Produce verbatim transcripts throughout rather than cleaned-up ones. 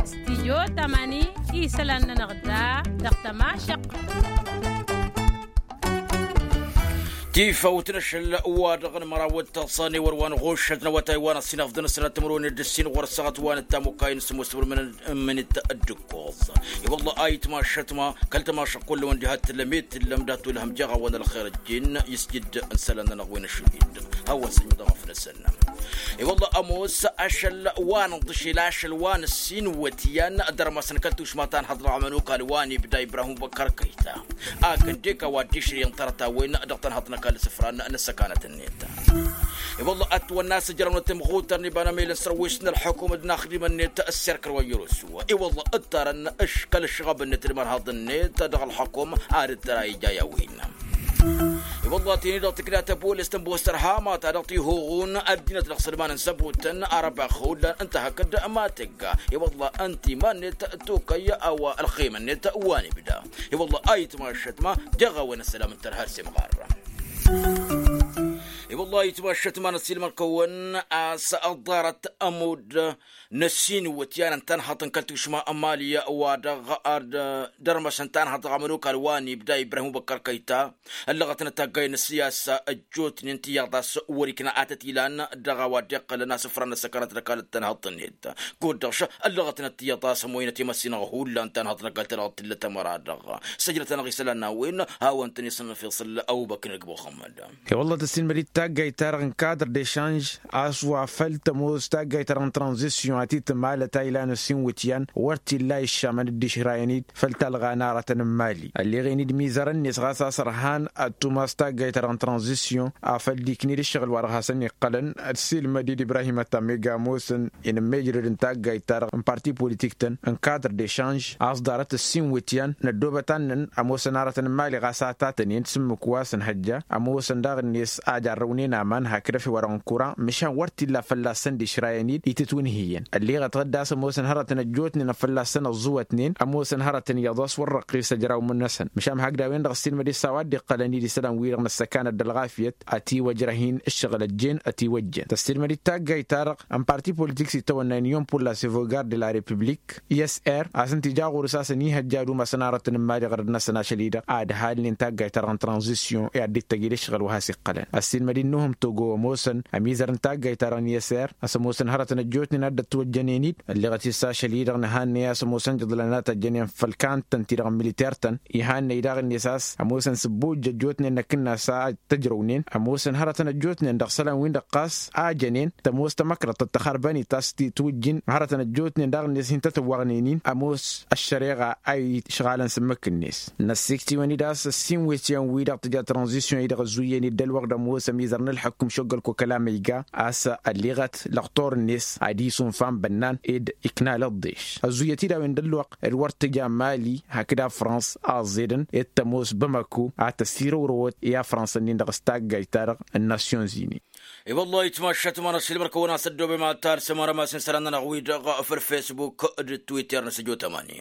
Stijyo tamani isălan-nănăɣ da dăɣ-tămašăq. Tifawt n-ašăl wa dăɣ-nămăraw d-taẓẓa n-ewăr wa n-ɣušăt n-awătay wa n-ăṣṣinăfḍăn s-tămrăwăn d-ǝssin ɣur-ăssaɣăt wa n-ăttamukay n-sămoos wăr-mǝnǝt ǝmmǝnǝt dd-ǝkkoẓ. I-wălla a itmašăt ma kăl-tămašăq kull-wăn diha t-tǝllăm i-t-tǝllăm dat-olhăm jeɣ a-wa n-ălxer ăjjin isjǝd n-isălan-nănăɣ wi n-ašǝl-dd. Hawăn-săn dăɣ-afnăsăn. I-wălla ămoos ašăl wa n-ăḍḍǝšel ašăl wa n-ăssin wătyan dăr-masăn kăl-tušma ta n-haḍra ămănokal wa n-ibda ibrahim băkkăr kăyta. Akǝndek a-wa dd-išrǝyăn tărăt-a-wen dăɣ-tănhăḍt n-ăkall isǝfran n-ăssăkanăt-net. I-wălla ătwănna a-s ǝjrăwnăt imɣutăr n-iba n-amel n-sărwis n-ălxukum d-inaxdimăn-net ăssirkăr wa n-yărosu. I-wălla ǝttarăn kăl-ǝšɣăb-net d-imărhaḍ-net dăɣ-ălxukum ad-dd-tăra ija i-a-wen. I-wălla tini-dăɣ tǝkna tăbolest n-bostăr hama ta dăɣ-tihuɣun ăddinăt dăɣ-sălman n-săbutăn arăbax hullan ǝnta hakd ma tǝgga. I-wălla ǝnta iman-net tokăy a-wa ălxim-net wa n-ibda. I-wălla a itmašăt ma jeɣ a-wen ăssălam n-tărha s-imɣarra. I-wălla a itmašăt ma n-ăssiilmăr-kăwăn a-s ăḍarăt ămudd n-ăssiinǝwwăt i-ad-ăntănhăḍ n-kăl-tušma n-mali wa dăɣ-ad-dărmăsăn tanhăḍ dăɣ-amănokal wa n-ibda ibrahim băkkăr kăyta. Ăllăɣătnăt taggay n-ăssiyasa ăjjootnen tiyyăḍ a-s wăr-ikna atăt ilan dăɣ-a-wa dd-iqqălăn asǝfran n-ăssăkanăt n-ăkall d-tanhăḍt-net. Kud-dăɣ ăllăɣătnăt tiyyăḍ a-s ămoynăt i-măssinăɣ hullan tanhăḍt n-ăkall ta dăɣ-t tǝllăt ămăra-dăɣ. Săjdăt-anăɣ isălan n-a-wen hawăn-tăn-isǝnnăfiṣǝl ăbubăkr n-ăgg muxămmăd. I-wălla tăssilmăd-dd taggayt ta-dăɣ n-kadr dešanž a-s wa făl tămoos taggayt ta dăɣ-n tranzisyon a ti-tǝmalăt a ilan ăssin wǝtyan wăr t-illa iššamăn dd-išrayăn-dd făll-talɣa n-aratăn n-mali ălleɣen-dd mizărăn-net ɣas a-s ărhan ad-tumas taggayt ta dăɣ-n tranzisyon. Afăl dd-ikned ǝššăɣǝl wa dăɣ-hasăn-iqqălăn ăssilmăd-dd ibrahim ăttam iga ămoosăn inǝmmejrăd n-taggayt ta dăɣ-n parti politik-tăn n-kadr dešanž a-s ḍarăt ǝssin wǝtyan n-ăddoobăt annăn ămoosăn aratăn n-mali ɣas a tatăn-in s-ǝmmǝk wa s-ǝnhăjja ămoosăn daɣ-net a jarrăwnen aman hakd efew wa dăɣ-n kura măšan wăr t-illa fălla-săn d-išrayăn-dd itǝtwǝnhǝyăn ălleɣăt ɣǝdda a-s ămoosăn hărătăn ăjjootnen a fălla-săn ăẓẓuwătnen ămoosăn hărătăn iyyăḍ a-s wăr răqqis ăjrawmǝn-năsăn măšan hakd a-wen-dăɣ ăssiilmăd-dd s-a-wa dd-iqqălăn-dd isălan-wi-dăɣ n-ăssăkanăt d-ălɣafyăt ătiwăjrăh-in ǝššăɣǝl ăjjeen ătiwăjjen tăssiilmăd-dd taggayt-ta-dăɣ n-parti politik s-itawănna union pour la sauvegarde de la republik isr a-s ǝnta ija ɣur-s a-s ănihăjja ad-umasăn arătăn n-mali ɣărăd-năsăn ašăl-i-dăɣ ad-halnen taggayt-ta-dăɣ n-tranzisyon i-ad-dd-tăjj d-ǝššăɣǝl wa has-iqqălăn ăssiilmăd-dd nuhǝm togo ămoosăn ămizăr n-taggayt-ta-dăɣ n-isr a-s ămoosăn hărătăn ăjjootnen a dd-ătwăjjănen-dd ălleɣăt-dd s-ašăl-i-dăɣ nǝhannăy a-s ămoosăn jăḍlăn ad-tăjjănen făll-kantăn-ti-dăɣ n-militer-tăn ihannăy daɣ-net a-s ămoosăn sǝbbujj ăjjootnen n-akǝnnas a tăjrăwnen ămoosăn hărătăn ăjjootnen dăɣ-isălan-win-dăɣ ɣas a jănen tămoos tamăkrăḍt tăxărbănit a-s t-twǝjjǝn hărătăn ăjjootnen daɣ-net hin-tătăwwăɣnen-in ămoos ăššăreɣa a išɣalăn s-ǝmmǝk-net. Năssikt'-iwăn-dd a-s ăssin wet iyyăn-wi-dăɣ tǝja tranzisyon-i-dăɣ ăzzuyyăn-dd ălwăqq d-ămoos ămizăr n-ǝlḥǝkkum šoggăl kokăla ma iga a-s ălleɣăt lăqtor-net ad-isunfa n-bănnan ed iknal ăḍḍeš ăzzuyyăt-dd a-wen d-ălwăqq d-wăr tǝja mali hakd afrans a ăẓẓedăn ed tămoos bamako a tăsirăwrăwăt i-afrans-nin-dăɣ s-taggajt-ta-dăɣ n-nasyonzini. I-wăllah itmašat ma n-ašilmăr-kăwăn-as ăddoobem ad-talsăm arămas n-isălan-nănăɣ-wi-dăɣ făll-fesbuk d-twitter n-săjo tamani.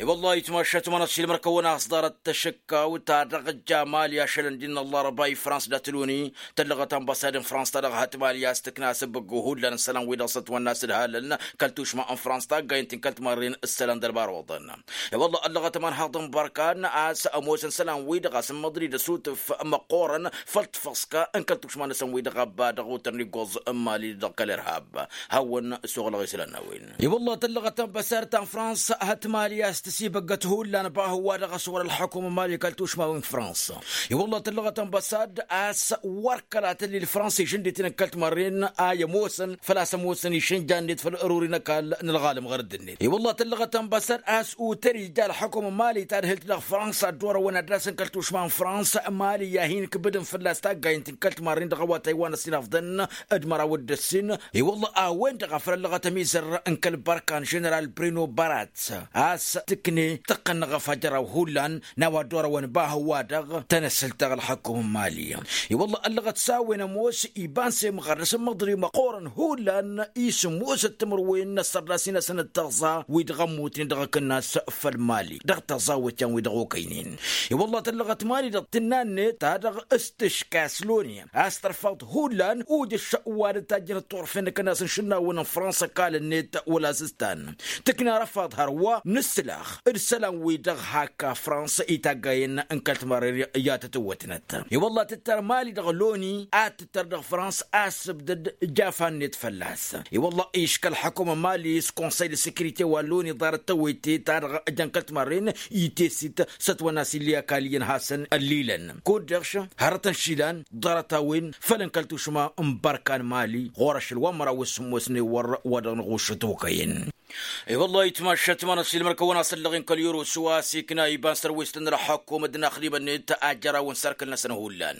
I-wăllah itmašat ma n-ašilmăr-kăwăn-as ḍarăt tăšǝkkaw ta dăɣ-ǝjja mali ašălăn din n-ăllarăba i-frans d-atǝluni tăllăɣăt ănbăsad n-frans ta dăɣ-hăt mali a-s tǝkna asǝbbǝggu hullan n-isălan-wi-dăɣ s-ătwănna a-s ǝdhalăn kăl-tušma n-frans taggayăn-t n-kăl-timarren isălan d-ălbar oḍăn. I-wăllah ăllăɣăt ămanhaḍ n-bărkan a-s ămoosăn isălan-wi-dăɣ a-s n-măḍri d-asutǝf măqqoorăn făll-tafăṣka n-kăl-tušma-năsăn-wi-dăɣ ăbba dăɣ-otăr n-iggoẓ n-mali dăɣ-kăl-irhab. Hawăn-ăsoɣ lăɣ isălan n-a-wen. I-wăllah tăllăɣăt ănbăsad ta n-frans hăt mali a-s tăsibăggăt hullan bahǝwwa dăɣ-s wăr-ălḥăkum n-mali kăl-tušma wi n-frans. I-wăllah tăllăɣăt ănbăsad a-s wăr kăla tăllil frans išǝndităn n-kăl-timărren a i-ămoosăn făl-a-s ămoosăn išǝnja-net făll-ăruri n-ăkall n-ălɣalăm ɣărădd-net. I-wăllah tăllăɣăt ănbăsad a-s uter ija ălḥăkum n-mali tadhǝlt dăɣ-frans ad-dd-orăwăn ad-dd-asăn kăl-tušma n-frans mali i-ad-hin-kǝbǝdăn fălla-s taggayăn-t n-kăl-timărren dăɣ-awătay wa n-ăsinafḍăn d-măraw d-ǝssin d-măraw d-ăssin. I-wăllah a-wen-dăɣ a făl ăllăɣăt ămizăr n-kăl-bărkan ženeral brino barat a-s tǝkne tăqqăn n-aɣăfaj ăraw hullan n-a-wa dd-orăwăn bahǝwwa-dăɣ tănăsǝlt dăɣ-ălḥăkum. ali. I-wălla ăllăɣăt s-a-wen ămoos iba n-semɣar dăɣ-s ămmăḍri măqqoorăn hullan isǝmmosăt timǝrwen n-ăssărdas-in-asăn d-tăẓẓa wi-dăɣ ămmutnen dăɣ-akǝnnas făll-mali dăɣ-tăẓẓawet yan-wi-dăɣ okăynen. I-wălla tăllăɣăt mali dăɣ-tǝnna-net ta dăɣ-s tǝška s-loni a-s tărfaḍ hullan ujǝš wa dăt-tajjănăt turfen n-akǝnnas n-išǝnnawăn n-fransa kal-net wăla s-ǝstan tǝkna răfaḍ hărwa n-ǝssǝlax d-isălan-wi-dăɣ hak fransa itaggayen n-kăl-timarren i-ad-tătwătnăt. I-wălla tǝttăr mali dăɣ-loni ad-tǝttăr dăɣ-fransa a-s ǝbdăd jafan-net fălla-s. I-wălla iškăl ḥakum n-mali s-konsăy d-sekirite wa loni ḍarăt tawete ta dăɣ-jăn kăl-timarren itesit s-ătwănna s-illi akal iyyăn hasăn ăllilăn kud-dăɣ hărătăn išilan ḍarăt-a-wen făll-n kăl-tušma n-bărka n-mali ɣur-ašăl wa n-măraw s-sǝmmos n-ewăr wa dăɣ-năɣušăt okăyăn. I-wăllah itmašat ma n-ăsilmăr kăwăn-asăllăɣ-in kăl-yurus wa s-ikna iba n-sărwestăn n-ălxăkkum d-inaxdimăn-net ajjăraw n-sărkǝl-năsăn hullan.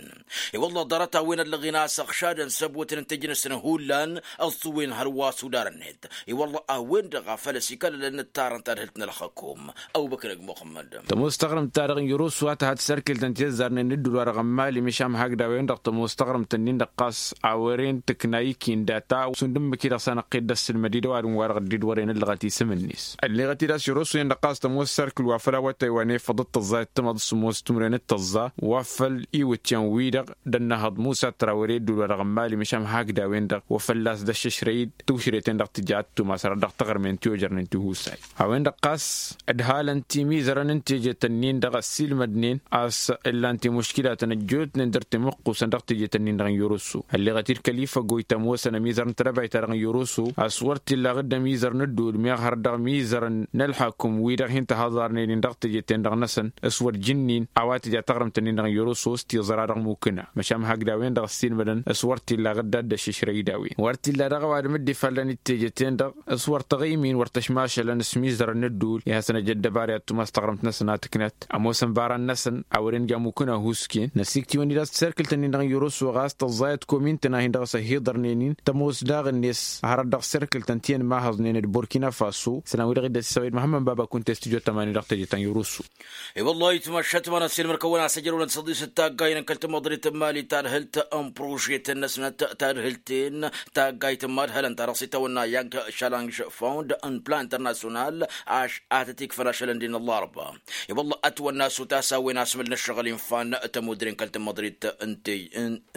I-wăllah ḍarăt-a-wen ăllăɣ-in a-s ăɣšadăn săbotăn n-tejnăsăn hullan ăẓẓuwen hărwa s-udarăn-net. I-wăllah a-wen-dăɣ a făl ăsikălălăn ǝttarăn tadhǝlt n-ălxăkkum. Ăbubăkr ăgg muxămmăd. Tămoos taɣrǝmt-ta-dăɣ n-yurus wa tǝhad sărkǝlt ǝnta i-ăzzarnen d-ǝddul-wa-dăɣ n-mali măšan hak d-a-wen-dăɣ tămoos taɣrǝmt-ǝnnin-dăɣ ɣas a wăren tǝkna iki n-data šund ǝmmǝk-i-dăɣ s-anăqqed d-ăssǝlmăd-dd ăwadǝm-wa-dăɣ dd-wărăn ǝllăɣăt isǝm-net. Ălleɣăt-dd a-s yurus-wen-dăɣ ɣas tămoos sărkǝl wa făl awătay wa n-efăḍ d-tăẓẓa d-tǝmăḍ s-sǝmmos timǝrwen d-tăẓẓa wa făl iwǝt yan-wi-dăɣ d-ănnăhăḍ musa trawăre ăddul-wa-dăɣ n-mali măšan hak d-a-wen-dăɣ wa fălla-s d-ăššăšrăy-dd tušret-en-dăɣ tǝja ad-tumasăr ad-dăɣ-tăɣrǝmen tiwăjărnen tihusay. A-wen-dăɣ ɣas ǝdhalăn timizărăn n-tejet-ǝnnin-dăɣ ăssiilmădnen a-s ǝllan timuškilatăn ăjjootnen dăr-timǝqqusăn dăɣ-tejet-ǝnnin-dăɣ n-yurǝsu. Ălleɣăt-dd kăl-ifăggoy tămoosăn ămizăr n-tedăbayt-ta-dăɣ n-yurǝsu a-s wăr t-illa aɣǝdda ămizăr n-ǝddul meɣ har dăɣ-imizărăn n-ălḥakum-wi-dăɣ hin-tăhaḍarnen-in dăɣ-tejet-en-dăɣ-năsăn s-wăr jǝnnin a-wa tǝja taɣrǝmt-ǝnnin-dăɣ n-yurǝsu s-tiẓra dăɣ-mukǝna măšan hakd a-wen-dăɣ ăssiilmădăn s-wăr t-illa aɣǝdda d-ăššăšrăy d-a-wen wăr t-illa dăɣ-ăwadǝm dd-ifallăn d-tejet-en-dăɣ s-wăr tăɣimin wăr tăšmašălăn s-imizărăn n-ǝddul i-hasăn-ăj ăddăbar i-ad-tumas taɣrǝmt-năsăn a tǝknat ămoosăn ibarăn-năsăn a wăren ja mukǝn ahusken năsiktiwăn-dd a-s tiserkǝlt-ǝnnin-dăɣ n-yurǝsu ɣas tăẓẓayăt komin-tăn a hin-dăɣ-s ăhiḍărnen-in tămoos daɣ-net hărăt dăɣ-serkǝlt ǝnta i-ănmahăẓnen d-burkina faso isălan-wi-dăɣ dd-ăssisăwăy d-muhămmăd baba kunta i-studyo tămani dăɣ-teje ta n-yurǝsu. I-wăllah itmašat ma n-ăssiilmăr-kăwăn-asăjrăwăn d-săḍisăt taggay n-kăl-tamăḍrit n-mali tadhǝlt n-prožetăn-năsnăt tadhǝlt-en taggayt n-madhălăn ta dăɣ-s itawănna yang challenge fund n-plan international ašăl a tăt-ikfăn ašălăn-dd-in ăllarba. I-wăllah ătwănna s-utas a-wen asmǝl n-ǝššăɣǝl infa n-tămudre n-kăl-tamăḍrit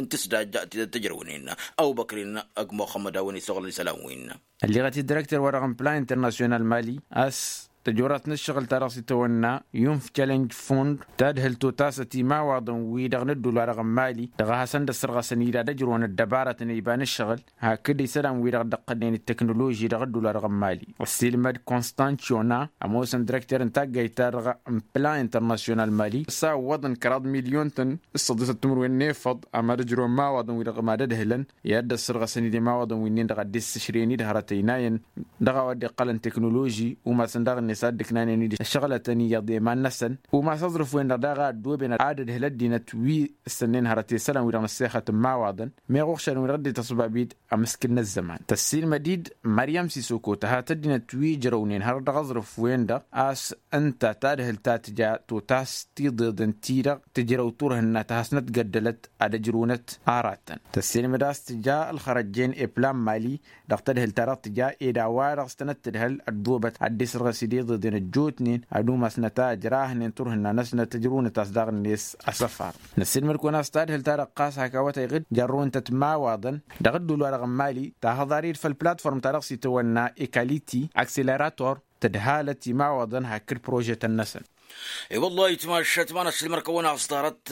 n-tǝsdajja tidăt tǝjrăwnen. Ăbubăkr-in ăgg muxămmăd a-wen isăɣlăn isălan-win. Ălleɣăt-dd direkter-wa-dăɣ n-plan international mali a-s tăjorat n-ǝššăɣǝl-ta-dăɣ s-itawănna yunf challenge fund tadhǝlt otasăt imawaḍăn-wi-dăɣ n-ǝddul-wa-dăɣ n-mali dăɣ-a hasăn-dd-ăssărɣăsăn-dd ad-ăjrăwăn ăddăbarătăn iba n-ǝššăɣǝl hakd isălan-wi-dăɣ dd-ăqqălnen d-teknoloži dăɣ-ǝddul-wa-dăɣ n-mali. Ăssiilmăd constant ciona ămoosăn direkter n-taggayt-ta-dăɣ n-plan international mali s-a ǝwwăḍăn kăraḍ milyon-tăn s-săḍisăt timǝrwen n-efăḍ a mad-ăjrăwăn imawaḍăn-wi-dăɣ mad-ădhǝlăn i-ad-dd-ăssărɣăsăn-dd imawaḍăn wi-nin-dăɣ a dd-issǝšrăyăn-dd hărăt ăynayăn dăɣ-a-wa dd-iqqălăn teknoloži umasăn daɣ-net ad-dd-ǝknanen-dd ăššăɣlătăn iyyăḍ i-iman-năsăn umas aẓrǝf-wen-dăɣ daɣ a ăddooben ad-ădhǝl ăddinăt wi ǝssănnen hărăt i-isălan-wi-dăɣ n-ăssexăt n-imawaḍăn meɣ uɣšadăn-wi-dăɣ dd-ităṣbab-dd ămǝskǝl n-ăzzăman tăssiilmăd-dd măryăm sisoko tăhat ăddinăt wi ǝjrăwnen hărăt dăɣ-aẓrǝf-wen-dăɣ a-s ǝnta tadhǝlt ta tǝja totas tiḍeḍen-ti-dăɣ tǝjrăw turhǝnna ta hasnăt găddălăt ad-ăjrăwnăt aratăn tăssiilmăd a-s tǝja ălxărăjjen eplan mali dăɣ-tadhǝlt-ta-dăɣ tǝja ed a-wa-dăɣ s-tănăt-tǝdhăl ăddoobăt ad-dd-isărɣǝs d-iḍeḍen ăjjootnen ad-umasnăt a ǝjrahnen turhǝnna-năsnăt ăjrăwnăt a-s daɣ-net asăfar. Năssiilmăd kăwăn-as tadhǝlt-ta-dăɣ ɣas hak awătay ɣǝd jarrăw ǝnta timawaḍăn dăɣ-ǝddul-wa-dăɣ n-mali tahăḍar-dd făll-platform-ta-dăɣ s-itawănna ekaliti akselerator tǝdhalăt imawaḍăn hakd prožetăn-năsăn. I-wăllah itmašat ma n-ăssiilmăr kăwăn-as ḍarăt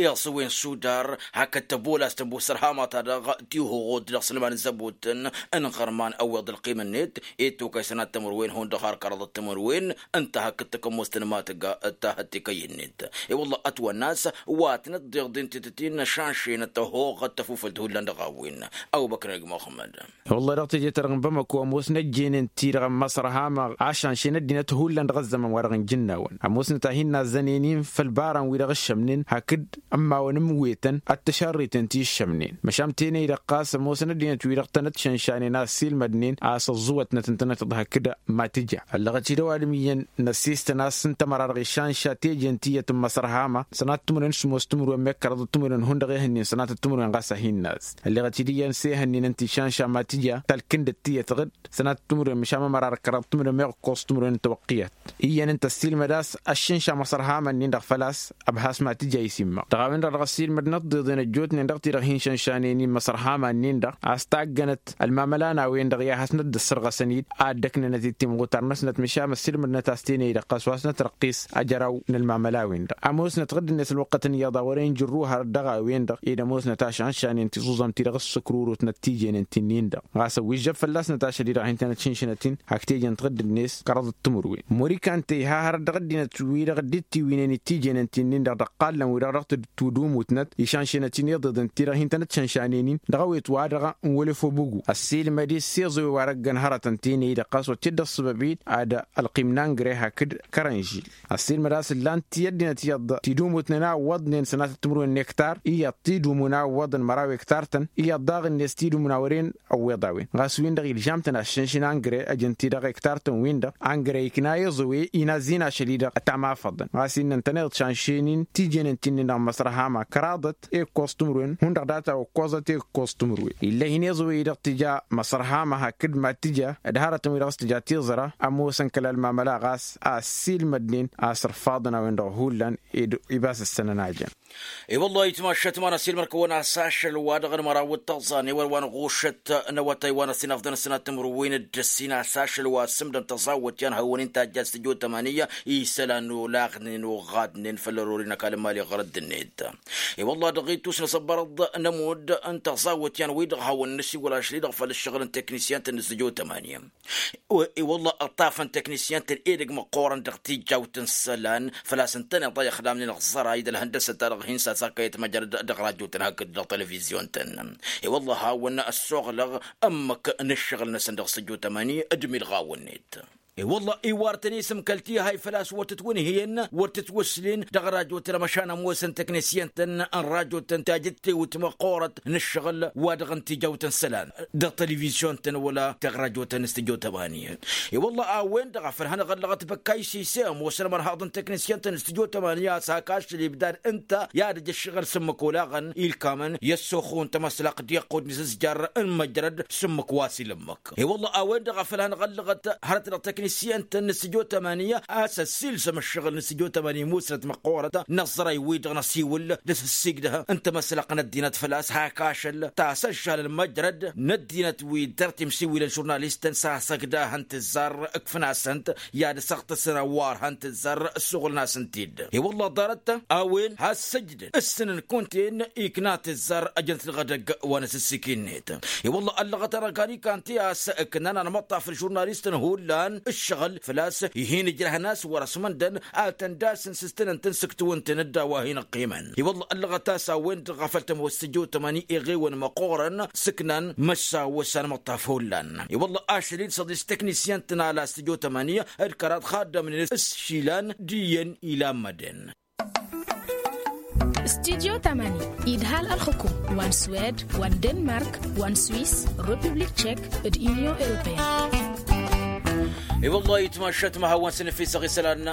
iɣsǝwen sudar hakd tăbola s-tăbosăr hama-ta-dăɣ tihoɣot dăɣ-sălman n-zăbotăn n-iɣărman ăwweḍ ălqim-net i-tokăy sănat tămărwen hundăɣ har kăraḍăt tămărwen ǝnta hakd takămmost n-imatăgga tahăt tikăyy-net. I-wălla ătwănna a-s wa tǝnăt-dd-iḍen titǝtin n-ašanšenăt tăhoɣăt tăfufălt hullan dăɣ-a-wen. Ăbubăkr n-ăgg muxămmăd. Wăllah dăɣ-teje-ta-dăɣ n-bamăko ămoosnăt jenen-ti-dăɣ n-măṣr hama ašănšen ăddinăt hullan dăɣ-ăzzăman-wa-dăɣ n-ijǝnnawăn ămoosnăt a hin-nazzănen-in făll-ibarăn-wi-dăɣ ǝššămnen. hakd ămmawăn ǝmwetăn ad-t-ăšărriten ti ǝššămnen măšan tenăy-dăɣ ɣas ămoosăn ăddinăt-wi-dăɣ tănăt-šănšanen a ăssiilmădnen a-s ăẓẓuwătnăt ǝntănăt-dăɣ hakd ma tǝja. Ăllăɣăt-dd ăwadǝm iyyăn năssistăn a-s ǝnta măra-dăɣ išănša tejen tiyyăt n-imăsărhama sănatăt timǝrwen s-ămoos timǝrwen mekkăraḍăt timǝrwen hundăɣ ehănnen sănatăt timǝrwen ɣas a hin-naz. Ălleɣăt-dd iyyăn s-ehănnen ǝnta išănša ma tǝja talkǝndăt tiyyăt ɣǝd sănatăt timǝrwen măšan mămărar kăraḍăt timǝrwen meɣ ǝkkoẓ timǝrwen n-tawăqqiyăt. Iyyăn ǝnta ăssiilmăd a-s ăššǝnša imăsărhama-nin-dăɣ făl-a-s ăbhas ma tǝja isimmăɣ dăɣ-a-wen-dăɣ dăɣ-ăssiilmădnăt tiḍeḍen ăjjootnen dăɣ-ti-dăɣ hin-šănšanen i-imăsărhama-nin-dăɣ a-s taggănăt ălmamăla n-a-wen-dăɣ i-ad-hasnăt dd-ăssărɣăsăn-dd a ăddăknănăt-dd timɣutar-năsnăt măšan ăssiilmădnăt a-s tenăy-dăɣ ɣas wa s-nătrăqqis ajăraw n-ălmamăla-wen-dăɣ ămoosnăt ɣǝdd-net ălwăqqăt n-iyyăḍ a wărăn jǝrruhăr dăɣ-a-wen-dăɣ ed ămoosnăt ašănšanen tiẓuẓăm-ti-dăɣ ǝssǝkrurutnăt tijenăn ti-nin-dăɣ ɣas ăwwižžăb fălla-snăt ašăl-i-dăɣ hin-tănăt šǝnšǝnăt-in hak tejen tiɣǝdd-net kăraḍăt timǝrwen. Mori kantey ha hărăt dăɣ-ăddinăt-wi-dăɣ dd-tiwǝynen d-tijenăn ti-nin-dăɣ dăɣ-iqqallăn-wi-dăɣ dăɣ-tǝddumutnăt išănšenăt-in iḍeḍen-ti-dăɣ hin-tănăt-šănšanen-in dăɣ-awet-wa-dăɣ n-wălăf obugu ăssiilmăd-i s-iẓǝwe wa dăgg-ănhărătăn tenăy-dăɣ ɣas wăr t-dd-ăṣṣăbăb-dd ad-ălqim n-angre hakd kărănžil. Ăssiilmăd a-s ǝllan-t i-ăddinăt iyyăḍ tidumutnen a ǝwwăḍnen sănatăt timǝrwen n-ektar iyyăḍ tidumǝn a ǝwwăḍăn măraw ektar-tăn iyyăḍ daɣ-net tidumǝn a wăren ăwweḍ a-wen ɣas win-dăɣ ilžam-tăn aššǝnšǝn angre ăjăn-t-dăɣ ektar-tăn-win-dăɣ angre ikna iẓǝwe inazzin ašăl-i-dăɣ ătamafăḍăn ɣas innă ǝntăneḍ šănšen-in tijenăn ti-nin-dăɣ n-măsrăhama kăraḍăt ekkos timǝrwen hundăɣ data okkos data ekkos timǝrwen ill'-e hin-iẓǝwe-i-dăɣ tǝja măsrăhama hakd ma tǝja d-hărătăn-wi-dăɣ s-tǝja tiẓra ămoosăn kăla ălmamăla ɣas a ăssiilmădnen a sărfaḍăn a-wen-dăɣ hullan ed ibas ǝssănăn a jăn. I-wăllah itmaššăt ma n-ăssiilmăr-kăwăn a-s ašăl wa dăɣ-nǝmăraw d-tăẓẓan i-wăr wa n-ɣušăt n-awătay wa n-ăsinăfḍăn ăssinat timǝrwen d-ăssin a-s ašăl wa s-ǝmdăn tăẓawăt i-anhăwăn-in tajjat s-tijot tămani isălan olaɣnen oɣadnen făll-ărori n-ăkall n-imali ɣărăt d-net. I-wăllah dăɣ-ittus n-asăbbărăḍ n-ămudd n-tăẓawăt i-anwăy-dăɣ hawăn-nǝsiwăl ašăl-i-dăɣ făll-ǝššăɣǝl n-teknisyăn-tăn n-sǝjo tămani. I-wăllah ăṭṭafăn teknisyăn-tăn edăgg măqqoorăn dăɣ-tijjawt n-isălan făl-a-s ǝntăneḍ a ixdamnen ăɣẓăray d-ălhăndăsăt-ta-dăɣ hin-sasakăyăt măjrăd dăɣ-radyo-tăn hakd dăɣ-televizyon-tăn. I-wăllah hawăn ăssoɣlăɣ ǝmmǝk n-ǝššăɣǝl-năsăn dăɣ-sǝjo tămani d-milɣaw-net. I-wălla iwar-tăn isǝm kăl-tihay făl-a-s wăr tǝtwǝnhǝyăn wăr tǝtwǝslen dăɣ-rajotăn măšan ămoosăn teknisyăn-tăn n-rajotăn tajǝttewt măqqoorăt n-ǝššăɣǝl wa dăɣ-n tijawt n-isălan dăɣ-televizyon-tăn wăla teɣ-rajotăn s-tijot ămani. I-wălla a-wen-dăɣ a făl hanăɣ-ăllăɣăt băkka isise ămoosăn mărhaḍ n-teknisyăn-tăn s-tijot ămani a-s hak ašăl ibdad ǝnta i-ad-ăj ǝššăɣǝl s-ǝmmǝk olaɣăn ilkamăn i-ăssoxo n-tamăslăqt d-iqqud n-isǝzjar n-măjrăd s-ǝmmǝk wa s-ilǝmmǝk. I-wălla a-wen-dăɣ a făl hanăɣ-ăllăɣăt hărăt dăɣ-teknisyăn-tăn n-sǝjo tămani a-s ăssiilsăm ǝššăɣǝl n-sǝjo tămani musnăt măqqoorăt n-ăẓẓărăy-wi-dăɣ n-ăsiwǝl d-asǝssigdăh n-tamăslăqt n-ăddinăt făl-a-s hak ašăl tasăžžal n-măjrăd n-ăddinăt wi dăr-timsiwilăn žurnalistăn s-asăgdahăn tǝzzar ǝkfǝn-asăn-t i-ad-săɣtăsăn ăwarhăn tǝzzar ǝssuɣǝlăn-asăn-t-dd. I-wălla ḍarăt a-wen has-săjdăn ǝssǝnăn kunta-en ikna tǝzzar ăjăn-t dăɣ-edăgg wa n-asǝssik-net. I-wălla ăllăɣăt-anăɣ kanikan ti a-s ǝknan anmăṭṭaf n-žurnalistăn hullan ǝššăɣǝl făl-a-s ihin-ǝjrăhăn a-s wăr-ăsmăndăn ad-tăn-dd-asǝnsǝstǝnăn-tăn s-ǝktǝwǝn-tăn-dd a-wa hin-ăqqimăn. I-wălla ăllăɣăt a-s a-wen-dăɣ a făl tămoos tǝjo tămani iɣewăn măqqoorăn s-ǝknan măšsawăs anmăṭṭaf hullan. I-wălla ašăl-i d-săḍis teknisyăn-tăn ala s-tǝjo tămani d-kăraḍ xaddămnen s-išilan d-iyyăn ilammădăn. Studyo tămani idhal ălxukum wa n-swed wa n-denmark wa n-swis, republik tšek d-inyon europeyăn. I-wăllah itmaššăt ma hawăn-săn efisăɣ isălan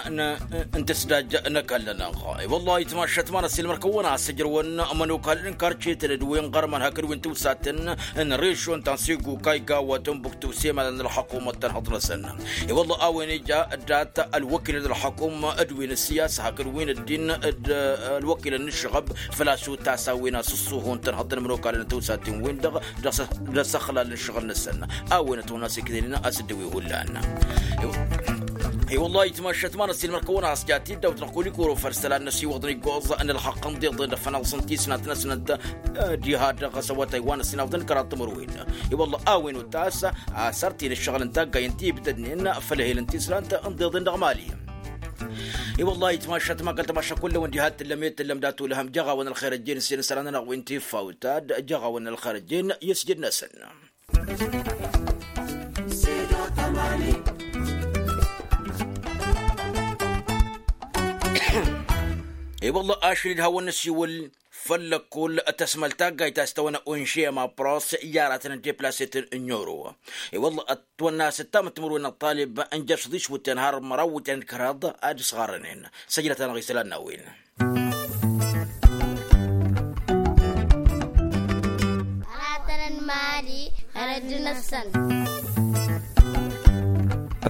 n-tǝsdaj n-ăkall-nănăɣ. I-wăllah itmaššăt ma n-ăssiilmăr-kăwăn a-s ǝjrăwăn ămănokal n-karcetăn d-wi n-ɣărman hakd wi n-tiwsaten n-režon ta n-sigu kayga wa tănbuktu s-emalăn ălxăkumăt tănhăḍ-năsăn. I-wălla a-wen ija dat-ălwăkilăn ălxăkum d-wi n-ăssiyasa hakd wi n-ăddin d-ălwăkilăn n-ǝššăɣăb făl-a-s utas a-wen a-s ǝṣṣuhu n-tănhăḍ n-ămănokal n-tiwsaten-win-dăɣ d-asăxlal n-ǝššăɣǝl-năsăn. A-wen ătwănna s-iknănen a-s dd-ăwi hullan. I-wălla itmaššăt ma n-ăssiilmăr-kăwăn a-s jat-dd-awt dăɣ-kulikuro făll-isălan n-ăsiwăḍăn iggoẓ n-ălxăqq n-diḍen d-afănaẓ n-tisnant-năsnăt diha dăɣ-s awătay wa n-ăsinăfḍăn kăraḍ timǝrwen. I-wălla a-wen utas asăr-t-in ǝššăɣǝl n-taggay n-tibdădnen făll-ehel n-tisnant n-diḍen dăɣ-mali. I-wălla itmaššăt ma kăl-tamašša kull-wăn diha t-tǝllăm i-tǝllăm dat-ulhăm jăɣ-awăn ălxer ăjjeen s-inǝsran-nănăɣ wi n-tiffawt ad-jăɣ-awăn ălxer ăjjeen i-ăsjăd-năsăn. I-wălla ašăl-dd hawăn-năsiwǝl făll-ăkkull tăsmăl taggayt a-s tăwănna unše ma pros i-aratăn n-deplasetăn n-oro. I-wălla ătwănna s-ǝttam timǝrwen n-ăṭṭalib n-jăr s-ḍiš wǝtten har măraw wǝtten d-kăraḍ ad-ǝsɣarănen. Săjdăt-anăɣ isălan n-a-wen. Ăratăn n-imali ărădd-năsăn.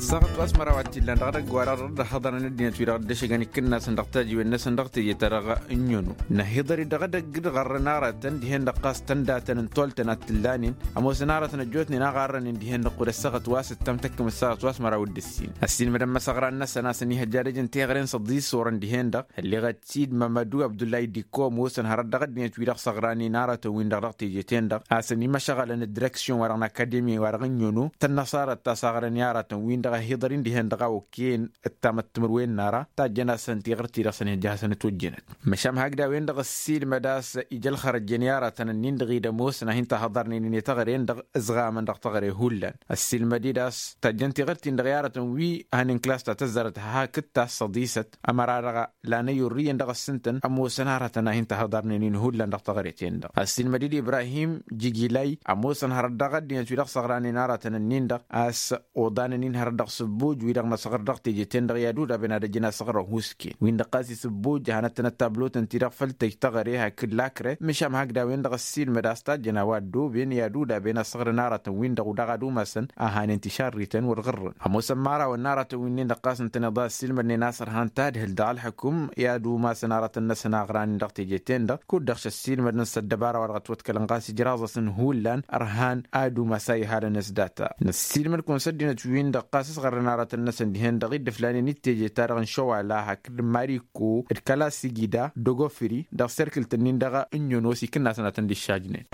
Ăssaɣăt wa s-măraw a t-illan dăɣ-edăgg wa dăɣ-dd-ăhhăḍărăn ăddinăt wi-dăɣ dd-ăšăgăn ikǝnnasăn dăɣ-tajiwen-năsăn dăɣ-teje-ta-dăɣ n-inono. Năhiḍăr-dd dăɣ-edăgg d-ɣărrăn aratăn dihen-dăɣ ɣas tăndatăn n-toltăn ad-t-ǝllanen. Ămoosăn aratăn ăjjootnen a ɣarrănen dihen-dăɣ kud-ăssaɣăt wa s-ǝttam tăkkǝm ăssaɣăt wa s-măraw d-ǝssin. Ăssiilmădăn imăsăɣran-năsăn a-s ănihăjja ad-ăjǝn teɣăre n-săḍis orăn dihen-dăɣ ălleɣăt-dd mămădu abdullahi dikko ămoosăn hărăt dăɣ-ăddinăt wi-dăɣ săɣranen aratăn-win-dăɣ dăɣ-teje-ten-dăɣ a-s ănimăšăɣălăn d-direksyon-wa-dăɣ n-akademi-wa-dăɣ n-inono tănnăṣarăt ta săɣrăn i-aratăn-win-dăɣ ăhiḍăr-in dihen-dăɣ a okăyăn ǝttamăt timǝrwen n-ara tajjăn-asăn tiɣǝrt-i-dăɣ s-ănihăjja hasăn-ătwăjjănăt. Măšan hakd a-wen-dăɣ ăssiilmăd a-s ija ălxărăjjăn i-aratăn-ǝnnin-dăɣ i-dd-ămoosăn a hin-tahăḍărnen i-teɣăren-dăɣ ǝzɣamăn dăɣ-teɣăre hullan. Ăssiilmăd-dd a-s tajjăn tiɣǝrt-in-dăɣ i-aratăn wi hanen klas ta tăzzarăt hakd ta s-săḍisăt ămăra-dăɣ lan ăyyurrǝyăn dăɣ-s ǝntăn ămoosăn aratăn a hin-tahăḍărnen-in hullan dăɣ-teɣăre-ten-dăɣ. Ăssiilmăd-dd ibrahim jigilay ămoosăn hărăt dăɣ-ăddinăt wi-dăɣ săɣranen aratăn-ǝnnin-dăɣ a-s oḍanăn-in hărăt dăɣ-sǝbbuj wi-dăɣ năsăɣr dăɣ-teje-ten-dăɣ i-ad-udaben ad-ăjǝn asăɣrăn husken win-dăɣ ɣas isǝbbuj hanăt-tăn ăttablotăn-ti-dăɣ făll-tăjj teɣăre hakd lakre. Măšan hakd a-wen-dăɣ ăssiilmăd a-s tajjăn a-wa ăddooben i-ad-udaben asăɣrăn aratăn-win-dăɣ u-dăɣ ad-umasăn a hanen tišarriten wăr ɣǝrrăn ămoosăn imărawăn n-aratăn-win-dăɣ ɣas ǝntăneḍ a ăssiilmădnen a-s ărhan tadhǝlt dăɣ-ălḥǝkǝm i-ad-umasăn aratăn-năsăn a ăɣranen dăɣ-teje-ten-dăɣ kud-dăɣ šăssiilmădăn s-ăddăbara wa dăɣ-ătwăḍkălăn ɣas ijraẓ-asăn hullan ărhan ad-umas a ihalăn s-data. Năssiilmăd-kăwăn s-ăddinăt-win-dăɣ ɣas ǝsɣărrăn aratăn-năsăn dihen-dăɣ i-dd-ǝflanen i-teje-ta-dăɣ n-šăwala hakd mariko d-kăla sigida d-ogofri dăɣ-serkǝlt-ǝnnin-dăɣ n-nyonos ikǝnnasăn ad-tăn-dd-iššajnen.